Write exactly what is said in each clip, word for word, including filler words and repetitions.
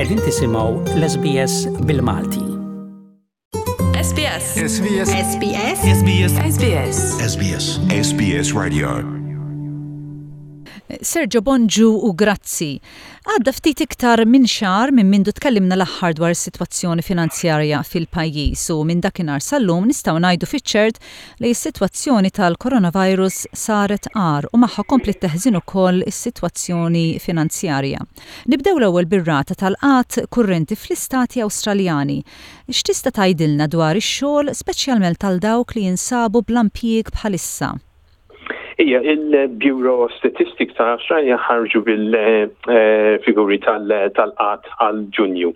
Qegħdin tisimgħu l-S B S bil-Malti. S B S. S B S. S B S. S B S. S B S. S B S. S B S Radio. Sergio, bonġu u grazzi. Għadda ftit iktar minn xahar minn mindu tkellimna l-aħħar dwar is-sitwazzjoni finanzjarja fil-pajjiż u minn dakinhar sal-lum nistgħu ngħidu fiċ-ċert li s-sitwazzjoni tal-coronavirus saret agħar u magħha kompli teħżin ukoll is-sitwazzjoni finanzjarja. Nibdew l-ewwel bir-rata tal-qgħad kurrenti fl-istati Awstraljani. X'tista' tgħidilna dwar ix-xogħol, speċjalment tal dawk li jinsabu bla impjieg bħalissa? Ija, il-Bureau of Statistics ta' Australia ħarġu bil-figuri tal-qgħad għal Ġunju.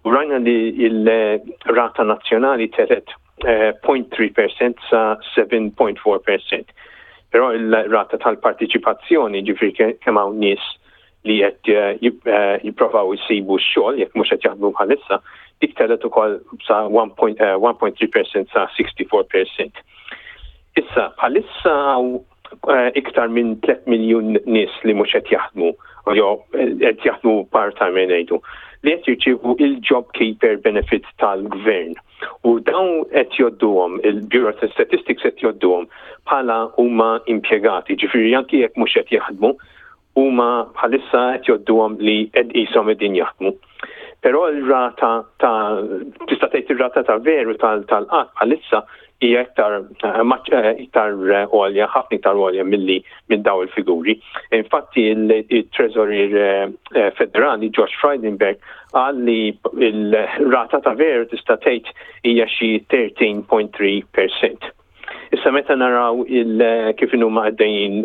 U rajna li il-rata nazzjonali telgħet zero punt tlieta fil-mija sa seba punt erbgħa fil-mija. Però il-rata tal-partiċipazzjoni, ġifieri kemm hawn nies li qed jipprovaw jisibu x-xogħol jekk mhux qed jaħdmu bħalissa, dik telgħet ukoll sa wieħed punt tlieta fil-mija sa sitta u sittin fil-mija. Issa, bħalissa iktar minn tliet miljun nies li mhux qed jaħdmu, jew qed jaħdmu part-time ngħidu, li qed jirċievu il-JobKeeper benefit tal-gvern. U dawn qed jgħodduhom, il-Bureau of Statistics qed jgħodduhom bħala huma impjegati, ġifieri anki jekk mhux qed jaħdmu, huma bħalissa qed jgħodduhom li qed qishom qegħdin jaħdmu. Però il-rata ta' tista' tgħid ir-rata ta' veru tal-qgħad bħalissa hija iktar iktar għolja, ħafna iktar għolja milli minn daw il-figuri. Infatti il-Treasurer Federali Josh Frydenberg qal li il-rata ta' veru tista' tgħid hija xi tlettax punt tlieta fil-mija. Issa, meta naraw il kif huma għaddejjin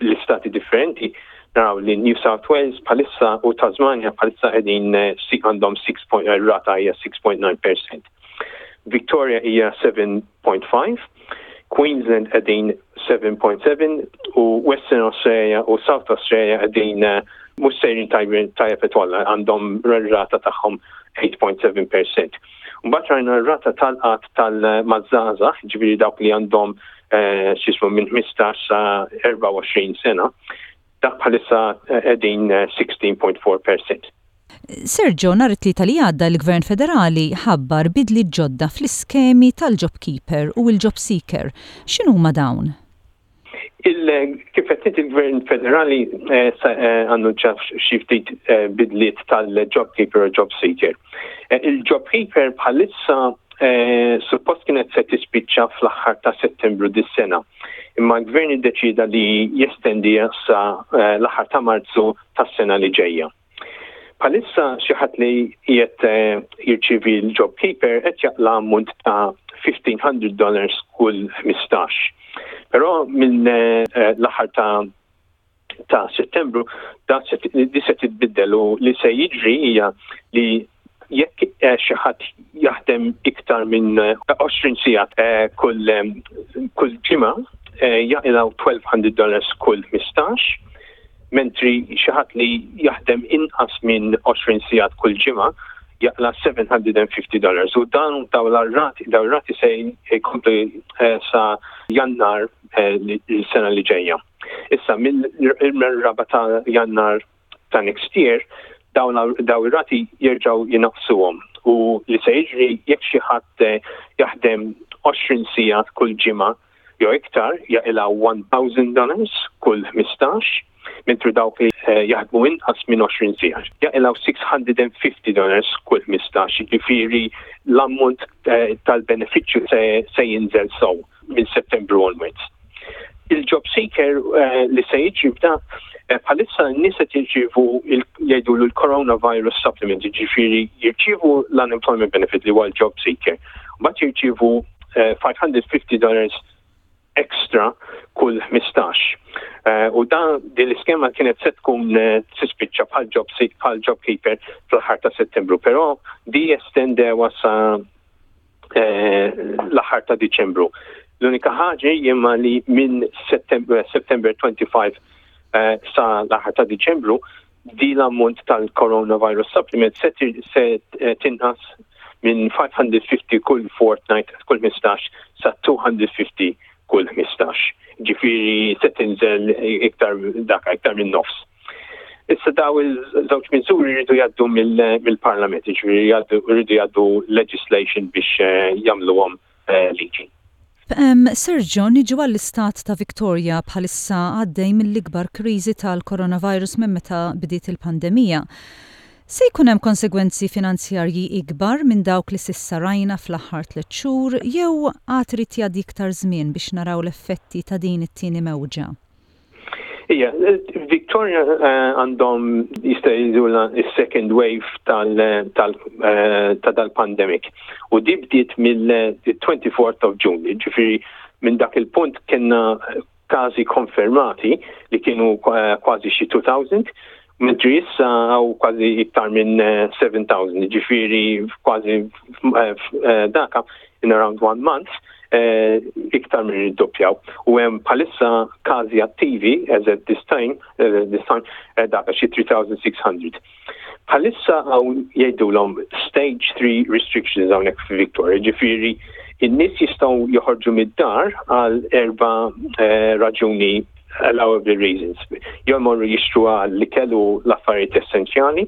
l-istati differenti, naraw li New South Wales bħalissa u Tasmania bħalissa qegħdin għandhom sitta, rata hija sitta punt disa fil-mija. Victoria hija seba punt ħamsa, Queensland qegħdin seba punt seba u Western Australia u South Australia qegħdin mhux sejrin tajjeb kollha, għandhom rata tagħhom tmienja punt seba fil-mija. Mbagħad rajna r-rata tal-qgħad tal-maż-żgħażagħ, ġifieri dawk li għandhom x'jismu minn ħmistax sa erbgħa u għoxrin sena, dak bħalissa qegħdin sittax punt erbgħa fil-mija. Sergio, nhar it-Tlieta li għadda l-Gvern Federali ħabbar bidli ġodda fl-iskemi tal-JobKeeper u l-JobSeeker. X'inhuma dawn? Kif qed il-Gvern Federali annuċa xi ftit bidliet tal-JobKeeper u JobSeeker. Il-JobKeeper bħalissa suppost kienet se tispiċċa fl-aħħar ta' Settembru dis-sena. Imma l-Gvern iddeċida li jestendi sa l-aħħar ta' Marzu tas-sena li ġejja. Bħalissa xi ħadd li qiegħed jirċievi l-JobKeeper qed jaqla' ammont ta' elf u ħmiċ mija dollars kull ħmistax. Però minn l-aħħar ta' ta' Settembru da di se titbiddel u li se jiġri hija li jekk xi ħadd jaħdem iktar minn għoxrin siegħa kull kull ġimgħa, jaqilgħu elf u tnax mija dollars kull ħmistax, mentri xi ħadd li jaħdem inqas minn għoxrin sigħat kull ġimgħa jaqla' seba' mija u ħamsin dollars. U dan daw l-rati daw rati se jkomplu sa Jannar l-sena li ġejja. Issa, mill-raba ta' Jannar ta' next year, daw ir-rati jerġgħu jinaqsuhom u li se jiġri, jekk xi ħadd jaħdem għoxrin sigħat kull ġimgħa jew iktar, jaqilgħu elf dollars kull ħmistax, mentri dawk li jaħdmu inqas minn għoxrin siegħa jaqilgħu sitt mija u ħamsin dollars kull ħmistax, ġifieri l-ammont tal-benefiċċju se, se jinżel sew minn Settembru onwards. Il-Job Seeker li se jiġri bda bħalissa, n-nies qed jirċievu, jgħidu, l-Coronavirus Supplement, ġifieri jirċievu l-unemployment benefit li huwa l-Job Seeker. Mbagħad jirċievu ħames mija u ħamsin dollars extra kull ħmistax. U dan din l-iskema kienet se tkun tispiċċa bħal job bħal JobKeeper fl-aħħar ta' Settembru, però di estendewa sa l-aħħar ta' Diċembru. L-unika ħaġa jimma li minn September, September ħamsa u għoxrin sa l-aħħar ta' Diċembru di l-ammont tal-Coronavirus Supplement se, se tinqas minn ħames mija u ħamsin kull fortnight, kull ħmistax, sa mitejn u ħamsin kull ħmistax. Ġifieri se tinżel iktar dak iktar minn nofs. Issa daw il-żewġ miżuri jridu jgħaddu mill-Parlament, jiġifieri jridu jgħaddu legislation biex eh, jagħmluhom eh, liġi. Sergio, niġu għall-istat ta' Victoria bħalissa għaddej mill-ikbar kriżi tal-coronavirus minn meta bdiet il-pandemija. Se jkun hemm konsegwenzi finanzjarji ikbar minn dawk li s'issa rajna fl-aħħar tliet xhur jew għad irid jgħaddi iktar żmien biex naraw l-effetti ta' din it-tieni mewġa? Ija, Victoria eh, għandhom jista' jgħidulha is-second wave tal, tal, eh, ta' dal-pandemic. U di bdiet mill-twenty-fourth of June, ġifieri minn dak il-punt kellna każi konfermati li kienu eh, kważi xi two thousand, mentri issa hawn kważi iktar minn seven thousand, ġifieri kważi daka in around one month iktar minn doppjaw. U hemm bħalissa każi attivi as at this time, this time daka xi three thousand six hundred. Bħalissa hawn jgħidulhom stage three restrictions hawnhekk fi Victoria, ġifieri in-nies jistgħu joħorġu mid-dar għal erba' raġuni, allowable reasons. Jew morru jixtru għall-ikel u l-affarijiet essenzjali,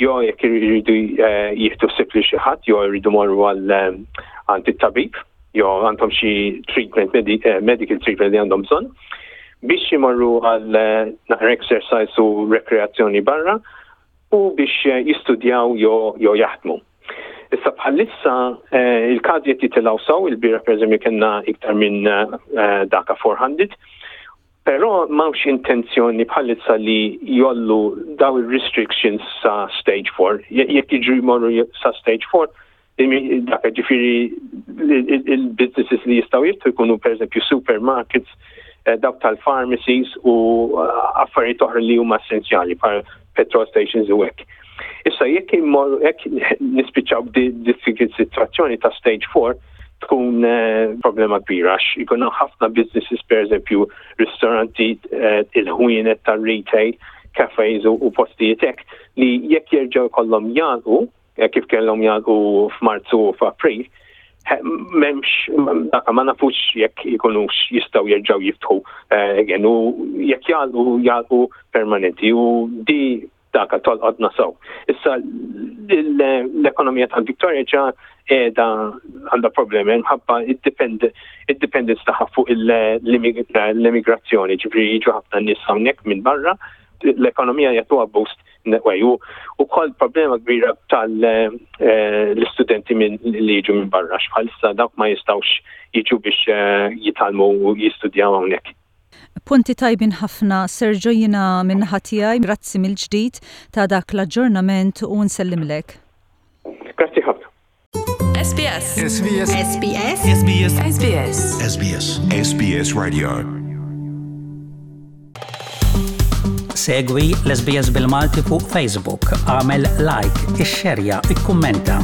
jew jekk iridu jieħdu ħsieb lil xi ħadd, jew iridu morru għal għand it-tabib, jew għandhom xi treatment, medical treatment li għandhom bżonn, biex jimorru għal naqra exercise u rekreazzjoni barra, u biex jistudjaw jew jaħdmu. Issa bħalissa il-każi qed jitilgħu sew, il-bieraħ per eżempju kellna iktar minn daka four hundred, però m'hawnx intenzjoni bħalissa li jgħollu daw il-restrictions sa stage four. Jekk jiġu jmorru sa stage four, dak ġifieri il-businesses li jistgħu jiftħu jkunu per eżempju supermarkets, dawk tal-pharmacies u affarijiet oħra li huma essenzjali bħal petrol stations u hekk. Issa jekk immorru, jekk nispiċċaw b'din sitwazzjoni ta' stage four, tkun problema kbira għax ikun ħafna businesses, per eżempju ristoranti, il-ħwienet tar-retail, cafes u postijiet hekk li jekk jerġgħu jkollhom jagħlqu kif kellhom jagħlqu f'Marzu u f'April, m'hemmx daka ma nafux jekk ikunux jistgħu jerġgħu jiftħu again u jekk jagħlqu, jagħlqu permanenti u di daka tolqodna sew. Issa l-ekonomija tal-Victoria ġa qiegħda għandha problemi minħabba id-dependence tagħha fuq l-immigrazzjoni, ġifieri jiġu ħafna nies hawnhekk minn barra, l-ekonomija jagħtuha boost way. U ukoll problema kbira tal-istudenti minn li jiġu minn barra, bħalissa dawk ma jistgħux jiġu biex jitgħallmu u jistudjaw hawnhekk. Punti tajbin ħafna, Sergio, jiena min-naħa tiegħi, grazzi mill-ġdid ta' dak l-aġġornament u nsellimlek. Grazzi ħafna. S B S. S B S. S B S. S B S. S B S. S B S. S B S Radio. Segwi l-S B S bil-Malti fuq Facebook, agħmel like, ixxerja, ikkummenta.